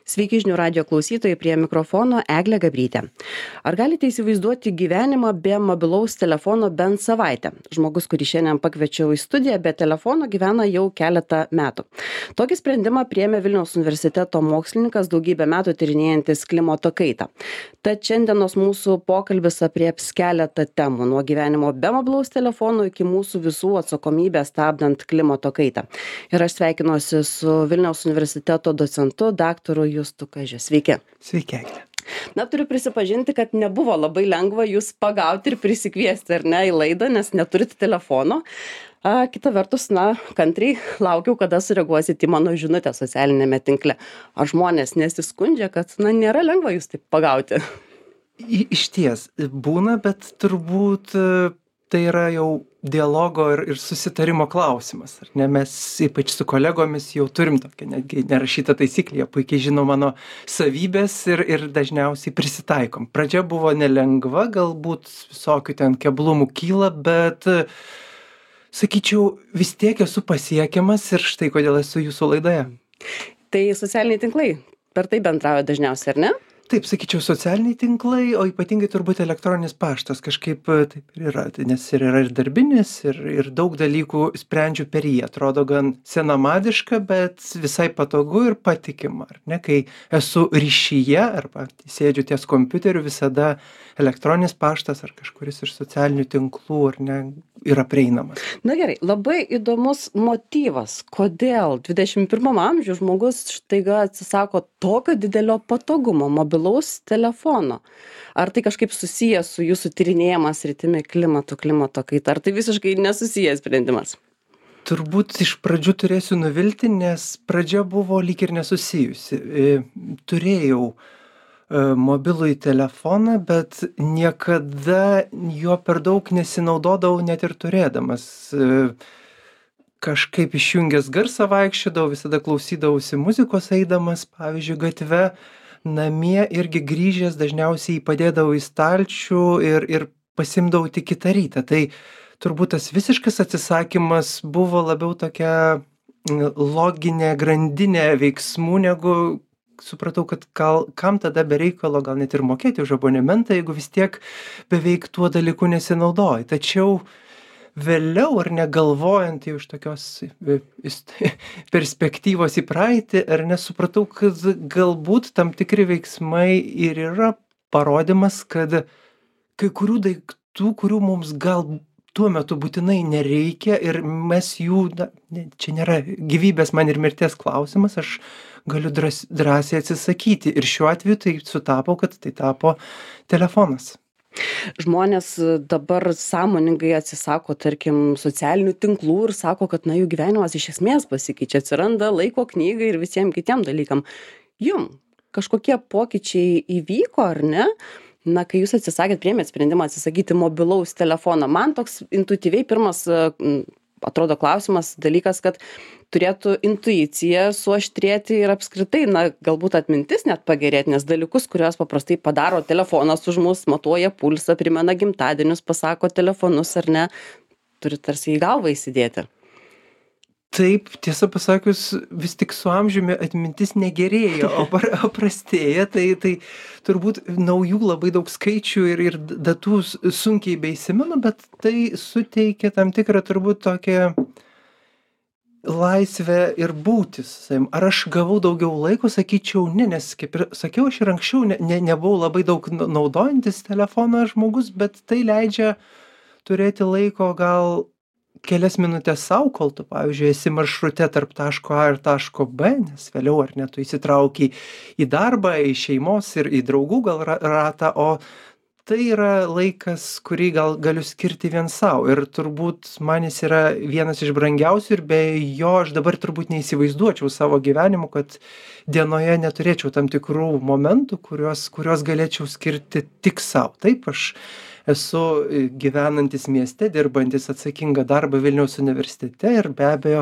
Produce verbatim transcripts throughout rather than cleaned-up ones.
Sveiki žinių radijo klausytojai, prie mikrofono Eglė Gabrytė. Ar galite įsivaizduoti gyvenimą be mobilaus telefono bent savaitę? Žmogus, kurį šiandien pakviečiau į studiją, be telefono gyvena jau keletą metų. Tokį sprendimą priėmė Vilniaus universiteto mokslininkas, daugybę metų tyrinėjantis klimato kaitą. Tad šiandienos mūsų pokalbis aprieps keletą temų, nuo gyvenimo be mobilaus telefono iki mūsų visų atsakomybės stabdant klimato kaitą. Ir aš sveikinuosi su Vilniaus universiteto docentu, daktaru Justu Kažiu. Sveiki. Sveiki, Eglė. Na, turiu prisipažinti, kad nebuvo labai lengva jūs pagauti ir prisikviesti, ar ne, į laidą, nes neturite telefono. A, kita vertus, na, kantriai laukiau, kada sureaguosit į mano žinutę socialinėme tinkle. Ar žmonės nesiskundžia, kad, na, nėra lengva jūs taip pagauti? I, iš ties, būna, bet turbūt tai yra jau dialogo ir, ir susitarimo klausimas. Ar ne? Mes ypač su kolegomis jau turim tokią netgi nerašytą taisyklę, jie puikiai žino mano savybės ir, ir dažniausiai prisitaikom. Pradžia buvo nelengva, galbūt visokių ten keblumų kyla, bet sakyčiau, vis tiek esu pasiekiamas ir štai kodėl esu jūsų laidoje. Tai socialiniai tinklai, per tai bendrauja dažniausiai, ar ne? Taip, sakyčiau, socialiniai tinklai, o ypatingai turbūt elektroninis paštas kažkaip taip ir yra, nes ir yra ir darbinis, ir, ir daug dalykų sprendžiu per jį. Atrodo gan senamadiška, bet visai patogu ir patikima. Ar ne? Kai esu ryšyje arba sėdžiu ties kompiuteriu, visada elektroninis paštas ar kažkuris iš socialinių tinklų ar ne, yra prieinamas. Na gerai, labai įdomus motyvas, kodėl dvidešimt pirmam amžiuje žmogus štaiga atsisako tokio didelio patogumo, mobilaus telefono. Ar tai kažkaip susijęs su jūsų tyrinėjimas rytimi klimato, klimato kaita, ar tai visiškai nesusijęs sprendimas? Turbūt iš pradžių turėsiu nuvilti, nes pradžia buvo lyg ir nesusijusi. Turėjau mobilųjį telefoną, bet niekada juo per daug nesinaudodavau net ir turėdamas. Kažkaip išjungęs garsą vaikščiodavau, visada klausydavausi muzikos eidamas, pavyzdžiui, gatve. Namie irgi grįžęs dažniausiai padėdavau į stalčių ir, ir pasimdavau tik kitą rytą. Tai turbūt tas visiškas atsisakymas buvo labiau tokia loginė grandinė veiksmų, negu supratau, kad gal, kam tada be reikalo gal net ir mokėti už abonementą, jeigu vis tiek beveik tuo dalyku nesinaudoji. Tačiau vėliau, ar negalvojant jau iš tokios perspektyvos į praeitį, ar nesupratau, kad galbūt tam tikri veiksmai ir yra parodymas, kad kai kurių daiktų, kurių mums gal tuo metu būtinai nereikia ir mes jų, na, čia nėra gyvybės man ir mirties klausimas, aš galiu drąs, drąsiai atsisakyti. Ir šiuo atveju tai sutapo, kad tai tapo telefonas. Žmonės dabar sąmoningai atsisako, tarkim, socialinių tinklų ir sako, kad, na, jų gyvenimas iš esmės pasikeičia, atsiranda laiko knygai ir visiems kitiem dalykam. Jum kažkokie pokyčiai įvyko, ar ne? Na, kai jūs atsisakėt, priėmėt sprendimą atsisakyti mobilaus telefono, man toks intuityviai pirmas, atrodo, klausimas, dalykas, kad turėtų intuicija suaštrėti ir apskritai, na, galbūt atmintis net pagerėti, nes dalykus, kuriuos paprastai padaro telefonas už mus, matuoja pulsą, primena gimtadienius, pasako telefonus ar ne, turi tarsi į galvą įsidėti. Taip, tiesą pasakius, vis tik su amžiumi atmintis negerėja, o, o prastėja, tai, tai turbūt naujų labai daug skaičių ir, ir datų sunkiai beįsimenu, bet tai suteikia tam tikrą turbūt tokią laisvę ir būtis. Ar aš gavau daugiau laiko, sakyčiau, ne, nes kaip ir sakiau, aš ir anksčiau ne, ne, nebuvau labai daug naudojantis telefoną žmogus, bet tai leidžia turėti laiko gal kelias minutės sau, kol tu, pavyzdžiui, esi maršrute tarp taško A ir taško B, nes vėliau ar ne, tu įsitrauki į darbą, į šeimos ir į draugų gal ratą, o tai yra laikas, kurį gal galiu skirti vien savo. Ir turbūt man jis yra vienas iš brangiausių ir be jo aš dabar turbūt neįsivaizduočiau savo gyvenimu, kad dienoje neturėčiau tam tikrų momentų, kuriuos, kuriuos galėčiau skirti tik savo. Taip, aš esu gyvenantis mieste, dirbantis atsakingą darbą Vilniaus universitete ir be abejo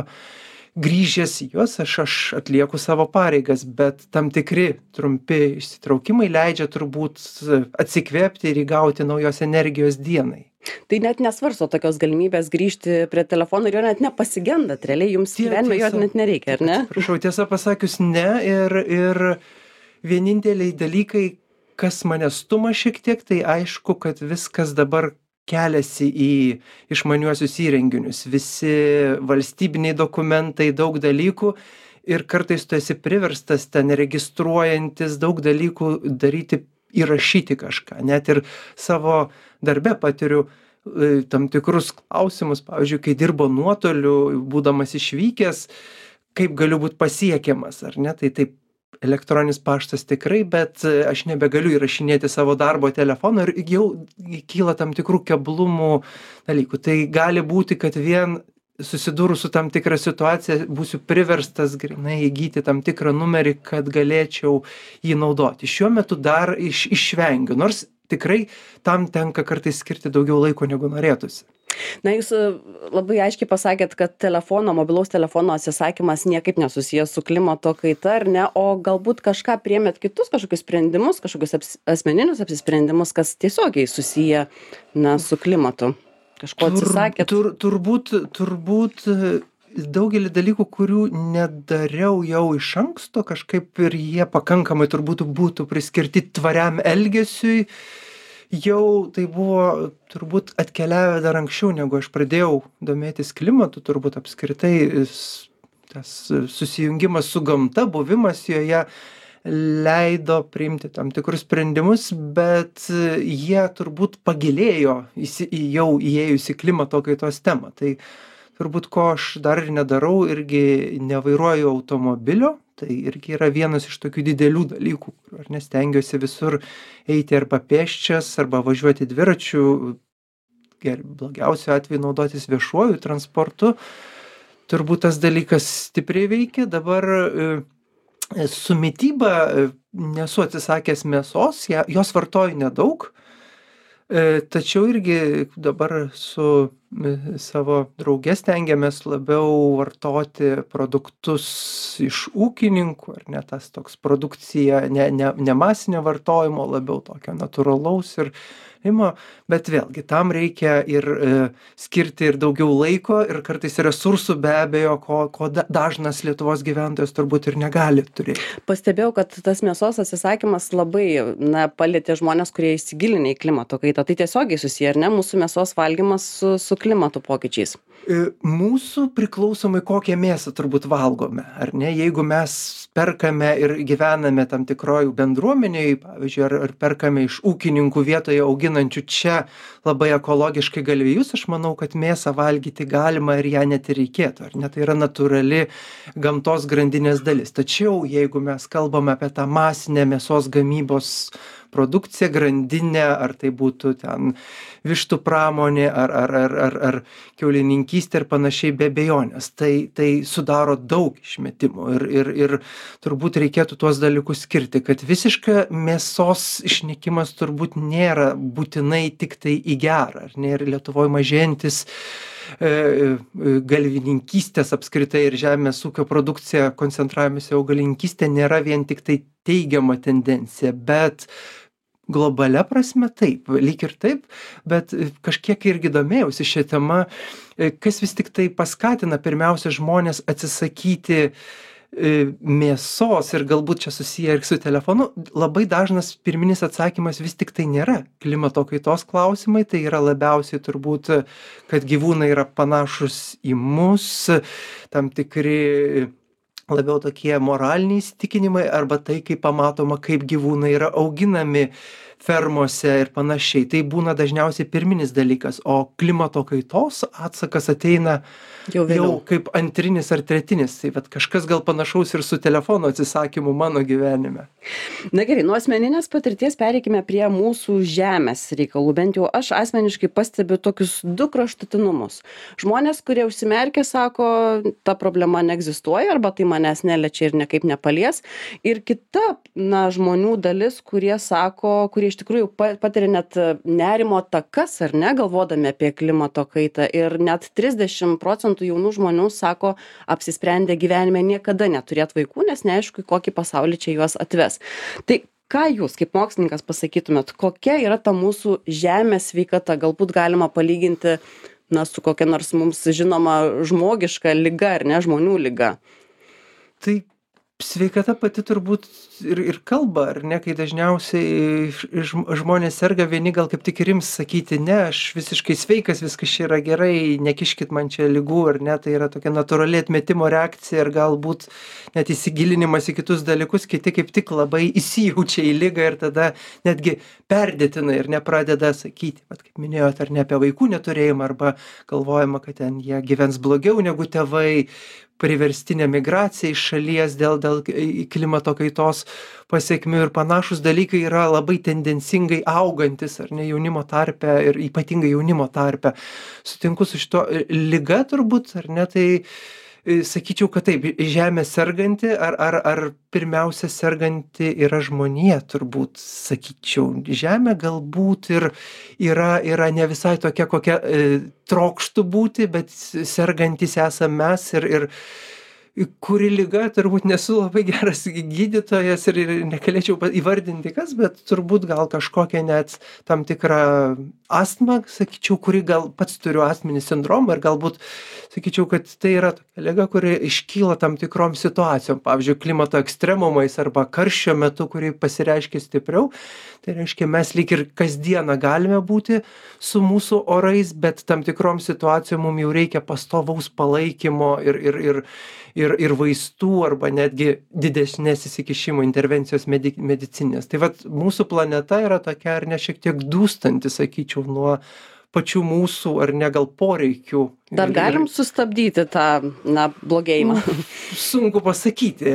grįžęs į juos aš, aš atlieku savo pareigas, bet tam tikri trumpi išsitraukimai leidžia turbūt atsikvėpti ir įgauti naujos energijos dienai. Tai net nesvarsto tokios galimybės grįžti prie telefono ir jo net nepasigendat, realiai jums gyvenime jo net nereikia, ar ne? Prašau, tiesą pasakius, ne ir, ir vieninteliai dalykai, kas mane stuma šiek tiek, tai aišku, kad viskas dabar keliasi į išmaniuosius įrenginius. Visi valstybiniai dokumentai, daug dalykų ir kartais tu esi priverstas ten registruojantis daug dalykų daryti, įrašyti kažką. Net ir savo darbe patiriu e, tam tikrus klausimus, pavyzdžiui, kai dirbo nuotoliu, būdamas išvykęs, kaip galiu būti pasiekiamas, ar ne? Tai taip, elektroninis paštas tikrai, bet e, aš nebegaliu įrašinėti savo darbo telefono ir jau kyla tam tikrų keblumų dalykų. Tai gali būti, kad vien susidūrus su tam tikra situacija būsiu priverstas grynai įgyti tam tikrą numerį, kad galėčiau jį naudoti. Šiuo metu dar iš, išvengiu, nors tikrai tam tenka kartais skirti daugiau laiko negu norėtųsi. Na, jūs e, labai aiškiai pasakėt, kad telefono, mobilaus telefono atsisakymas niekaip nesusijęs su klimato kaita, ar ne, o galbūt kažką priėmėt kitus kažkokius sprendimus, kažkokius aps, asmeninius apsisprendimus, kas tiesiogiai susiję, na, su klimatu. Kažko atsisakėt? Tur, tur, turbūt, turbūt daugelį dalykų, kurių nedariau jau iš anksto, kažkaip ir jie pakankamai turbūt būtų priskirti tvariam elgesiui. Jau tai buvo turbūt atkeliavę dar anksčiau, negu aš pradėjau domėtis klimatu, turbūt apskritai tas susijungimas su gamta, buvimas joje leido priimti tam tikrus sprendimus, bet jie turbūt pagilėjo įsi, jau įėjus į klimato kaitos temą. Tai turbūt ko aš dar ir nedarau, irgi nevairuoju automobilio, tai irgi yra vienas iš tokių didelių dalykų, ar nestengiuosi visur eiti arba pėsčias, arba važiuoti dviračiu, blogiausiu atveju naudotis viešuoju transportu. Turbūt tas dalykas stipriai veikia. Dabar su mityba nesu atsisakęs mėsos, jos vartoju nedaug, tačiau irgi dabar su savo drauge stengiamės labiau vartoti produktus iš ūkininkų, ar ne, tas toks produkcija, ne, ne, ne masinio vartojimo, labiau tokio natūralaus ir bet vėlgi tam reikia ir e, skirti ir daugiau laiko ir kartais resursų be abejo, ko, ko dažnas Lietuvos gyventojas turbūt ir negali turėti. Pastebėjau, kad tas mėsos atsisakymas labai na, palėtė žmonės, kurie įsigilinę į klimato kaitą. Tai tiesiogiai susiję, ar ne, mūsų mėsos valgymas su, su klimato pokyčiais? Mūsų priklausomai kokią mėsą turbūt valgome, ar ne? Jeigu mes perkame ir gyvename tam tikrojų bendruomenėje, pavyzdžiui, ar, ar perkame iš ūkininkų vietoje auginančių čia labai ekologiškai galvijus, aš manau, kad mėsą valgyti galima ir ją net ir reikėtų, ar ne? Tai yra natūrali gamtos grandinės dalis. Tačiau jeigu mes kalbame apie tą masinę mėsos gamybos produkciją, grandinę, ar tai būtų ten vištų pramonė, ar, ar, ar, ar, ar kiaulininkystė ir panašiai, be abejonės. Tai, tai sudaro daug išmetimų ir, ir, ir turbūt reikėtų tuos dalykus skirti, kad visiška mėsos išnykimas turbūt nėra būtinai tik tai į gerą, ar ne, ir Lietuvoje mažėjantis e, galvininkystės apskritai ir žemės ūkio produkcija, koncentravimas į augalininkystę nėra vien tik tai teigiama tendencija, bet globalia prasme taip, lyg ir taip, bet kažkiek irgi domėjausi šią temą, kas vis tik tai paskatina pirmiausia žmonės atsisakyti mėsos ir galbūt čia susiję ir su telefonu. Labai dažnas pirminis atsakymas vis tik tai nėra klimato kaitos klausimai, tai yra labiausiai turbūt, kad gyvūnai yra panašus į mus, tam tikri labiau tokie moraliniai įsitikinimai arba tai, kaip pamatoma, kaip gyvūnai yra auginami fermose ir panašiai. Tai būna dažniausiai pirminis dalykas, o klimato kaitos atsakas ateina jau, jau kaip antrinis ar tretinis. Tai vat kažkas gal panašaus ir su telefono atsisakymu mano gyvenime. Na gerai, nuo asmeninės patirties pereikime prie mūsų žemės reikalų. Bent jau aš asmeniškai pastebiu tokius du kraštutinumus. Žmonės, kurie užsimerkia, sako, ta problema neegzistuoja arba tai manęs neliečia ir niekaip nepalies. Ir kita na, žmonių dalis, kurie sako, kurie iš tikrųjų patiria net nerimo atakas, ar ne, galvodami apie klimato kaitą. Ir net trisdešimt procentų jaunų žmonių sako, apsisprendę gyvenime niekada neturėti vaikų, nes neaišku, į kokį pasaulį čia juos atves. Tai ką jūs kaip mokslininkas pasakytumėt, kokia yra ta mūsų žemės sveikata? Galbūt galima palyginti na, su kokia nors mums žinoma žmogiška liga, ar ne, žmonių liga? Tai Sveikata pati turbūt ir ir kalba, ar ne, kai dažniausiai ž žm žmonės serga, vieni gal kaip tik ir ims sakyti: "Ne, aš visiškai sveikas, viskas čia yra gerai, nekiškit man čia ligų", ar ne, tai yra tokia natūrali atmetimo reakcija ir galbūt net įsigilinimas į kitus dalykus, kiti kaip tik labai įsijaučia į ligą ir tada netgi perdėtina ir nepradeda sakyti, vat kaip minėjot, ar ne, apie vaikų neturėjimą arba galvojama, kad ten jie gyvens blogiau negu tėvai, priverstinė migracija iš šalies dėl dėl klimato kaitos pasekmių ir panašūs dalykai yra labai tendencingai augantys, ar ne, jaunimo tarpe ir ypatingai jaunimo tarpe. Sutinku su šituo. Liga turbūt, ar ne, tai sakyčiau, kad taip, žemė serganti, ar, ar, ar pirmiausia serganti yra žmonija, turbūt sakyčiau. Žemė galbūt ir yra, yra ne visai tokia, kokia e, trokštų būti, bet sergantis esame mes ir, ir kuri liga, turbūt nesu labai geras gydytojas ir, ir negalėčiau įvardinti kas, bet turbūt gal kažkokia net tam tikrą astmą, sakyčiau, kuri gal pats turiu astminį sindromą ir galbūt sakyčiau, kad tai yra tokia liga, kuri iškyla tam tikrom situacijom, pavyzdžiui, klimato ekstremumais arba karščio metu, kuri pasireiškia stipriau. Tai reiškia, mes lyg ir kasdieną galime būti su mūsų orais, bet tam tikrom situacijom mums jau reikia pastovaus palaikymo ir, ir, ir, ir, ir vaistų arba netgi didesnės įsikišimo intervencijos medi medicinės. Tai vat mūsų planeta yra tokia ar ne šiek tiek dūstanti, sakyčiau, nuo pačių mūsų ar ne gal poreikių. Dar galim sustabdyti tą, na, blogėjimą? Sunku pasakyti.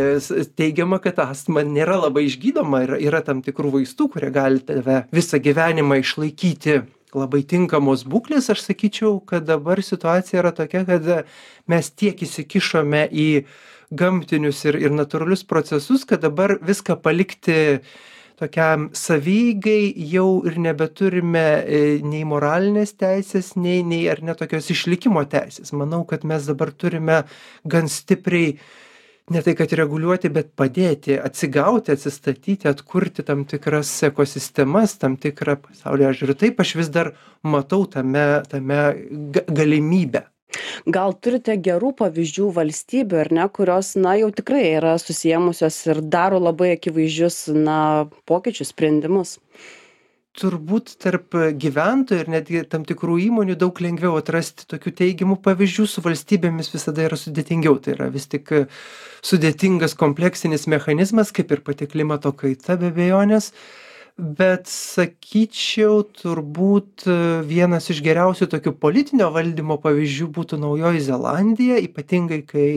Teigiama, kad astma nėra labai išgydoma, yra, yra tam tikrų vaistų, kurie gali tave visą gyvenimą išlaikyti labai tinkamos būklės. Aš sakyčiau, kad dabar situacija yra tokia, kad mes tiek įsikišome į gamtinius ir, ir natūralius procesus, kad dabar viską palikti tokiam savygai jau ir nebeturime nei moralinės teisės, nei, nei ar ne tokios išlikimo teisės. Manau, kad mes dabar turime gan stipriai ne tai kad reguliuoti, bet padėti, atsigauti, atsistatyti, atkurti tam tikras ekosistemas, tam tikrą pasaulio žiūrį. Taip aš vis dar matau tame, tame galimybę. Gal turite gerų pavyzdžių valstybių, ar ne, kurios, na, jau tikrai yra susiėmusios ir daro labai akivaizdžius, na, pokyčius, sprendimus? Turbūt tarp gyventojų ir netgi tam tikrų įmonių daug lengviau atrasti tokių teigiamų pavyzdžių, su valstybėmis visada yra sudėtingiau. Tai yra vis tik sudėtingas kompleksinis mechanizmas, kaip ir pati klimato kaita be abejonės. Bet sakyčiau, turbūt vienas iš geriausių tokių politinio valdymo pavyzdžių būtų Naujoji Zelandija, ypatingai kai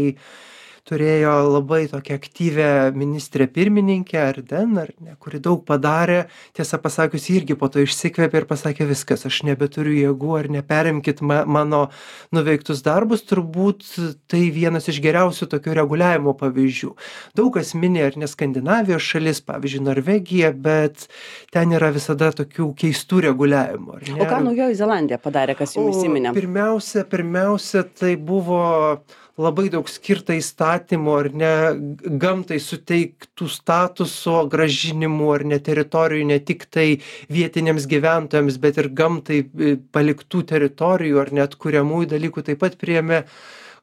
turėjo labai tokią aktyvę ministrę pirmininkę Ardern, ar ne, kuri daug padarė, tiesą pasakius, irgi po to išsikvėpė ir pasakė viskas, aš nebeturiu jėgų, ar neperimkit ma mano nuveiktus darbus, turbūt tai vienas iš geriausių tokių reguliavimo pavyzdžių. Daug kas mini, ar ne, Skandinavijos šalis, pavyzdžiui, Norvegija, bet ten yra visada tokių keistų reguliavimų. Ar ne? O ką Naujoji Zelandija padarė, kas jums įsiminė? Pirmiausia, pirmiausia, tai buvo labai daug skirta įstatymų, ar ne, gamtai suteiktų statuso grąžinimų, ar ne, teritorijų, ne tik tai vietiniams gyventojams, bet ir gamtai paliktų teritorijų, ar net kuriamųjų dalykų. Taip pat priėmė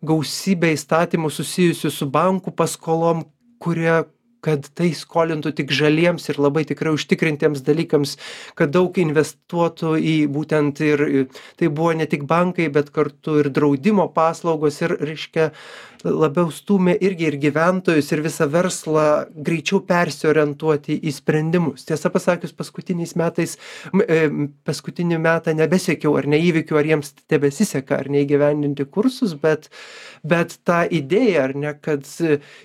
gausybę įstatymų susijusių su bankų paskolom, kurie kad tai skolintų tik žaliems ir labai tikrai užtikrintiems dalykams, kad daug investuotų į būtent ir tai buvo ne tik bankai, bet kartu ir draudimo paslaugos ir, reiškia, labiau stūmė irgi ir gyventojus ir visą verslą greičiau persiorientuoti į sprendimus. Tiesą pasakius, paskutiniais metais, paskutinį metą nebesiekiau ar neįvykių, ar jiems tebesiseka, ar neįgyvendinti kursus, bet, bet ta idėja, ar ne, kad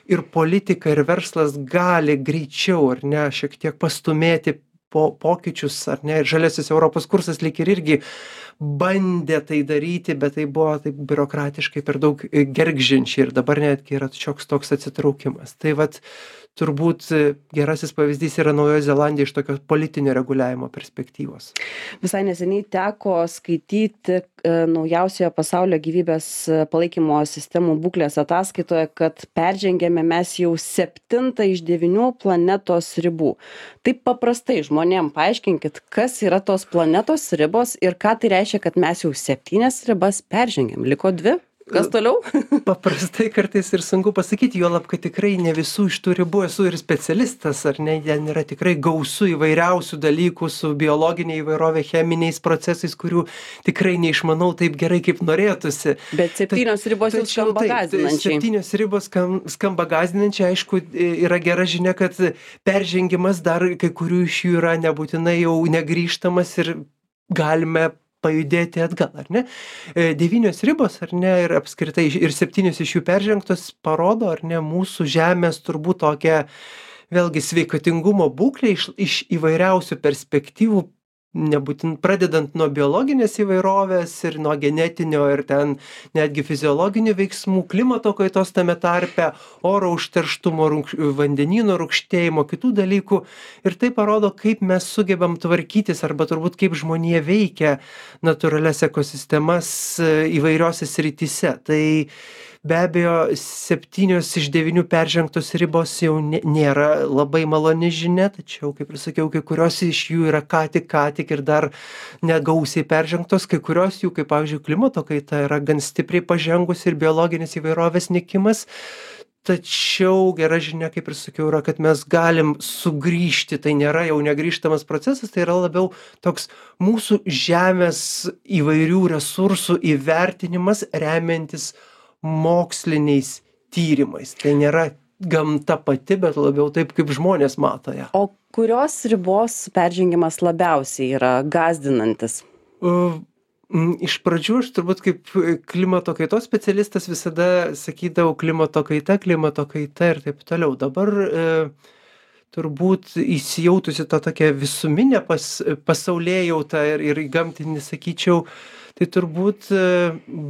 ir politika, ir verslas gali greičiau, ar ne, šiek tiek pastumėti po pokyčius, ar ne, ir žaliasis Europos kursas lyg ir irgi bandė tai daryti, bet tai buvo taip biurokratiškai per daug gergždžiančiai ir dabar netgi yra šioks toks atsitraukimas. Tai vat turbūt gerasis pavyzdys yra Naujoji Zelandija iš tokio politinio reguliavimo perspektyvos. Visai neseniai teko skaityti naujausioje pasaulio gyvybės palaikymo sistemų būklės ataskaitoje, kad peržengėme mes jau septintą iš devynių planetos ribų. Taip paprastai žmonėm paaiškinkit, kas yra tos planetos ribos ir ką tai reiškia, kad mes jau septynias ribas peržengėm. Liko dvi? Kas toliau? Paprastai kartais ir sunku pasakyti, juolab, kad tikrai ne visų iš tų ribų esu ir specialistas, ar ne, ten yra tikrai gausu įvairiausių dalykų su biologinė įvairovė, cheminiais procesais, kurių tikrai neišmanau taip gerai, kaip norėtųsi. Bet septynios ribos jau Tačiau skamba taip, gąsdinančiai. septynios ribos skam, skamba gąsdinančiai, aišku, yra gera žinia, kad peržengimas dar kai kurių iš jų yra nebūtinai jau negrįžtamas ir galime pajudėti atgal, ar ne? Devynios ribos, ar ne, ir apskritai ir septynios iš jų peržengtos parodo, ar ne, mūsų žemės turbūt tokią, vėlgi, sveikatingumo būklę iš, iš įvairiausių perspektyvų, nebūtin, pradedant nuo biologinės įvairovės ir nuo genetinio ir ten netgi fiziologinių veiksmų, klimato kaitos tame tarpe, oro užterštumo, rūk, vandenyno rūgštėjimo, kitų dalykų. Ir tai parodo, kaip mes sugebam tvarkytis arba turbūt kaip žmonija veikia natūralias ekosistemas įvairiose srityse. Tai be abejo, septynios iš devynių peržengtos ribos jau nėra labai maloni žinia, tačiau, kaip ir sakiau, kai kurios iš jų yra ką tik, ką tik ir dar negausiai peržengtos, kai kurios jų, kaip pavyzdžiui, klimato kaita yra gan stipriai pažengusi ir biologinės įvairovės nykimas. Tačiau gera žinia, kaip ir sakiau, yra, kad mes galim sugrįžti, tai nėra jau negrįžtamas procesas, tai yra labiau toks mūsų žemės įvairių resursų įvertinimas remiantis moksliniais tyrimais. Tai nėra gamta pati, bet labiau taip, kaip žmonės mato ją. O kurios ribos peržengimas labiausiai yra gąsdinantis? Uh, Iš pradžių aš turbūt kaip klimato kaitos specialistas visada sakydavau klimato kaita, klimato kaita ir taip toliau. Dabar e, turbūt įsijautusi tą tokią visuminę pas, pasaulėjautą ir, ir gamtinį, sakyčiau, tai turbūt e,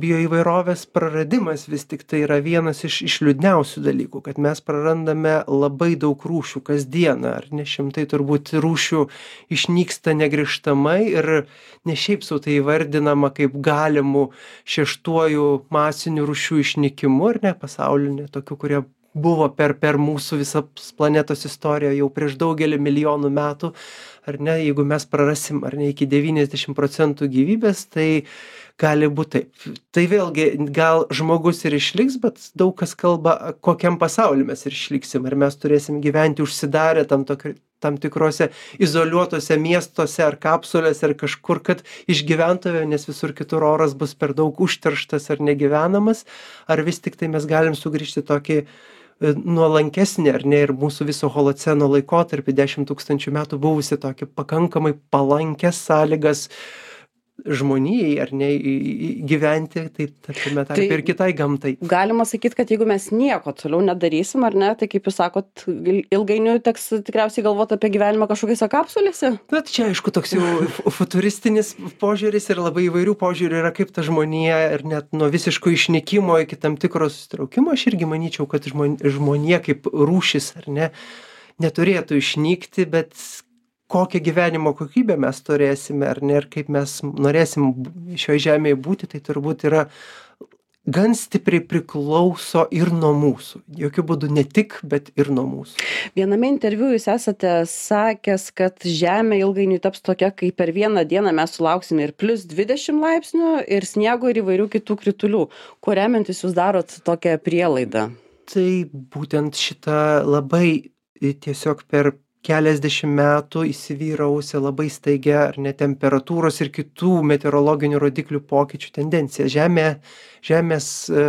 bioįvairovės praradimas vis tik tai yra vienas iš, iš liūdniausių dalykų, kad mes prarandame labai daug rūšių kasdieną, ar ne šimtai turbūt rūšių išnyksta negrįžtamai ir ne šiaip sau tai įvardinama kaip galimų šeštuoju masiniu rūšių išnykimu, ar ne, pasaulinė, tokių, kurie buvo per, per mūsų visą planetos istoriją jau prieš daugelį milijonų metų, ar ne, jeigu mes prarasim, ar ne, iki devyniasdešimt procentų gyvybės, tai gali būti taip. Tai vėlgi, gal žmogus ir išliks, bet daug kas kalba, kokiam pasauliu mes ir išliksim, ar mes turėsim gyventi užsidarę tam, tokio, tam tikrose izoliuotose miestuose ar kapsulėse ar kažkur, kad išgyventume, nes visur kitur oras bus per daug užterštas ar negyvenamas, ar vis tik tai mes galim sugrįžti tokį nuolankesnį, ar ne, ir mūsų viso holoceno laikotarpį dešimt tūkstančių metų buvusi tokį pakankamai palankęs sąlygas žmonijai, ar ne, gyventi, tai tarkime, tarp tai ir kitai gamtai. Galima sakyti, kad jeigu mes nieko toliau nedarysim, ar ne, tai kaip jūs sakot, ilgainiui teks tikriausiai galvoti apie gyvenimą kažkokiose kapsulėse? Na, čia aišku toks jau futuristinis požiūris ir labai įvairių požiūrių yra, kaip ta žmonija ir net nuo visiško išnykimo iki tam tikro susitraukimo. Aš irgi manyčiau, kad žmonija kaip rūšis, ar ne, neturėtų išnykti, bet kokią gyvenimo kokybę mes turėsime, ar ne, ir kaip mes norėsim šioje žemėje būti, tai turbūt yra gan stipriai priklauso ir nuo mūsų. Jokių būdų ne tik, bet ir nuo mūsų. Viename interviu jūs esate sakęs, kad Žemė ilgainiui taps tokia, kai per vieną dieną mes sulauksime ir plus dvidešimt laipsnių, ir sniego, ir įvairių kitų kritulių. Kuo remiantis jūs darot tokią prielaidą? Tai būtent šitą labai tiesiog per keliasdešimt metų įsivyravusią labai staigią ar ne temperatūros ir kitų meteorologinių rodiklių pokyčių tendenciją. Žemė, žemės e,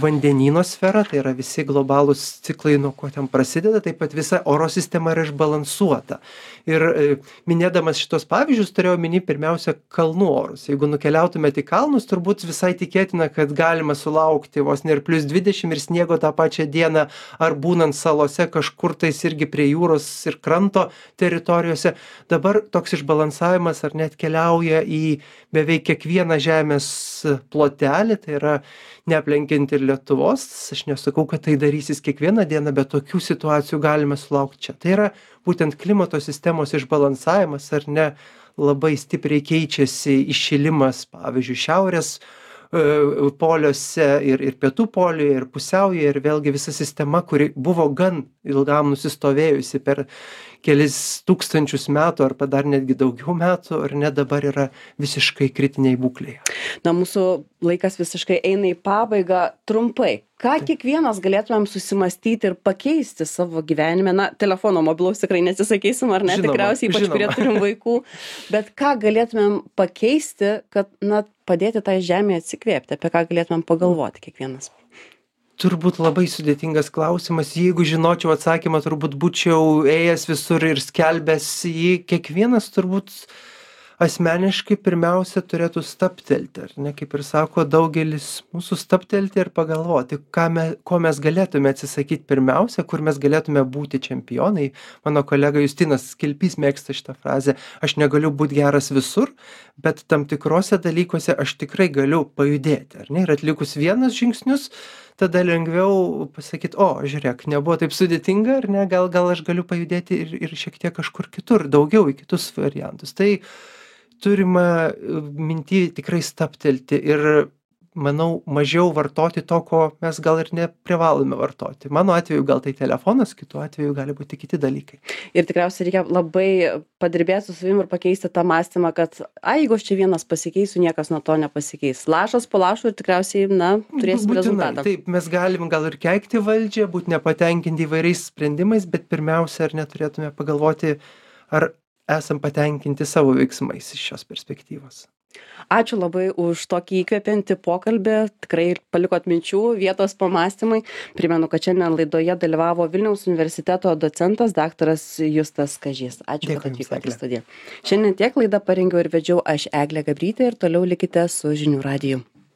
vandenyno sfera, tai yra visi globalūs ciklai, nuo ko ten prasideda, taip pat visa oro sistema yra išbalansuota. Ir e, minėdamas šitos pavyzdžius, turėjau minį pirmiausia kalnų orus. Jeigu nukeliautumėte į kalnus, turbūt visai tikėtina, kad galima sulaukti vos ne ir plus dvidešimt ir sniego tą pačią dieną, ar būnant salose kažkur tais irgi prie jūros ir kranto teritorijose. Dabar toks išbalansavimas ar net keliauja į beveik kiekvieną žemės plotelį, tai yra neaplenkiant ir Lietuvos. Aš nesakau, kad tai darysis kiekvieną dieną, bet tokių situacijų galime sulaukti čia. Tai yra būtent klimato sistemos išbalansavimas, ar ne, labai stipriai keičiasi iššilimas, pavyzdžiui, šiaurės e, poliuose ir, ir pietų poliuje, ir pusiaujoje, ir vėlgi visa sistema, kuri buvo gan ilgam nusistovėjusi per kelis tūkstančius metų, arba dar netgi daugiau metų, ar ne, dabar yra visiškai kritiniai būklėje. Na, mūsų laikas visiškai eina į pabaigą. Trumpai, ką kiekvienas galėtumėm susimąstyti ir pakeisti savo gyvenime? Na, telefono mobilaus tikrai neatsisakysim, ar ne? Žinoma, Tikriausiai, ypač žinoma. kurie turim vaikų. Bet ką galėtumėm pakeisti, kad, na, padėti tai žemėje atsikvėpti? Apie ką galėtumėm pagalvoti kiekvienas? Turbūt labai sudėtingas klausimas. Jeigu žinočiau atsakymą, turbūt būčiau ėjęs visur ir skelbęs jį. Kiekvienas turbūt asmeniškai pirmiausia turėtų stabtelti, ar ne? Kaip ir sako daugelis mūsų, stabtelti ir pagalvoti, ką me, ko mes galėtume atsisakyti pirmiausia, kur mes galėtume būti čempionai. Mano kolega Justinas Kilpys mėgsta šitą frazę: aš negaliu būti geras visur, bet tam tikrose dalykuose aš tikrai galiu pajudėti, ar ne? Ir atlikus vienus žingsnius, tada lengviau pasakyti, o, žiūrėk, nebuvo taip sudėtinga, ar ne? Gal, gal aš galiu pajudėti ir, ir šiek tiek kažkur kitur, daugiau į kitus variantus. Tai turime minty tikrai stabtelti ir, manau, mažiau vartoti to, ko mes gal ir neprivalome vartoti. Mano atveju gal tai telefonas, kitu atveju gali būti kiti dalykai. Ir tikriausiai reikia labai padirbėti su savim ir pakeisti tą mąstymą, kad, ai, jeigu aš čia vienas pasikeisiu, niekas nuo to nepasikeis. Lašas po lašo ir tikriausiai, na, turėsim Būtinai, rezultatą. taip, mes galim gal ir keikti valdžią, būti nepatenkinti įvairiais sprendimais, bet pirmiausia, ar neturėtume pagalvoti, ar esam patenkinti savo veiksmais iš šios perspektyvos. Ačiū labai už tokį įkvepiantį pokalbį, tikrai palikot minčių, vietos pamąstymai. Primenu, kad šiandien laidoje dalyvavo Vilniaus universiteto docentas daktaras Justas Kažys. Ačiū, Dėkui kad jums, atvykote į Egle. studiją. Šiandien tiek laidą parengiau ir vedžiau aš, Eglė Gabrytė, ir toliau likite su Žinių radiju.